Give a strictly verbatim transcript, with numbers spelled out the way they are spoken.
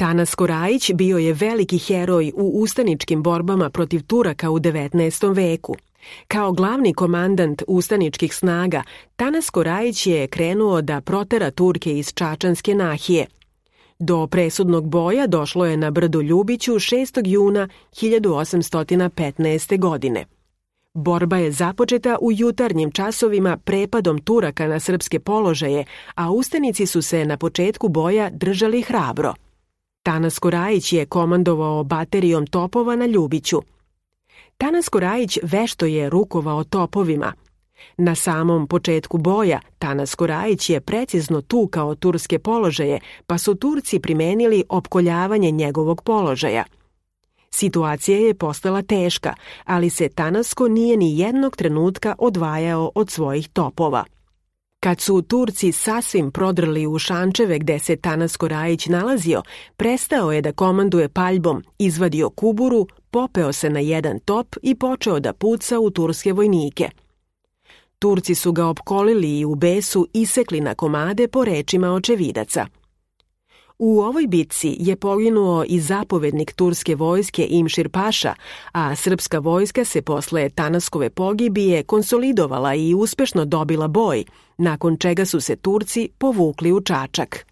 Tanasko Rajić bio je veliki heroj u ustaničkim borbama protiv Turaka u devetnaestom veku. Kao glavni komandant ustaničkih snaga, Tanasko Rajić je krenuo da protera Turke iz Čačanske nahije. Do presudnog boja došlo je na brdu Ljubiću šestog juna hiljadu osamsto petnaeste. godine. Borba je započeta u jutarnjim časovima prepadom Turaka na srpske položaje, a ustanici su se na početku boja držali hrabro. Tanasko Rajić je komandovao baterijom topova na Ljubiću. Tanasko Rajić vešto je rukovao topovima. Na samom početku boja Tanasko Rajić je precizno tukao turske položaje, pa su Turci primenili opkoljavanje njegovog položaja. Situacija je postala teška, ali se Tanasko nije ni jednog trenutka odvajao od svojih topova. Kad su Turci sasvim prodrli u šančeve gde se Tanasko Rajić nalazio, prestao je da komanduje paljbom, izvadio kuburu, popeo se na jedan top i počeo da puca u turske vojnike. Turci su ga opkolili i u besu isekli na komade po rečima očevidaca. U ovoj bitci je poginuo i zapovednik turske vojske Imšir Paša, a srpska vojska se posle Tanaskove pogibije konsolidovala i uspešno dobila boj, nakon čega su se Turci povukli u Čačak.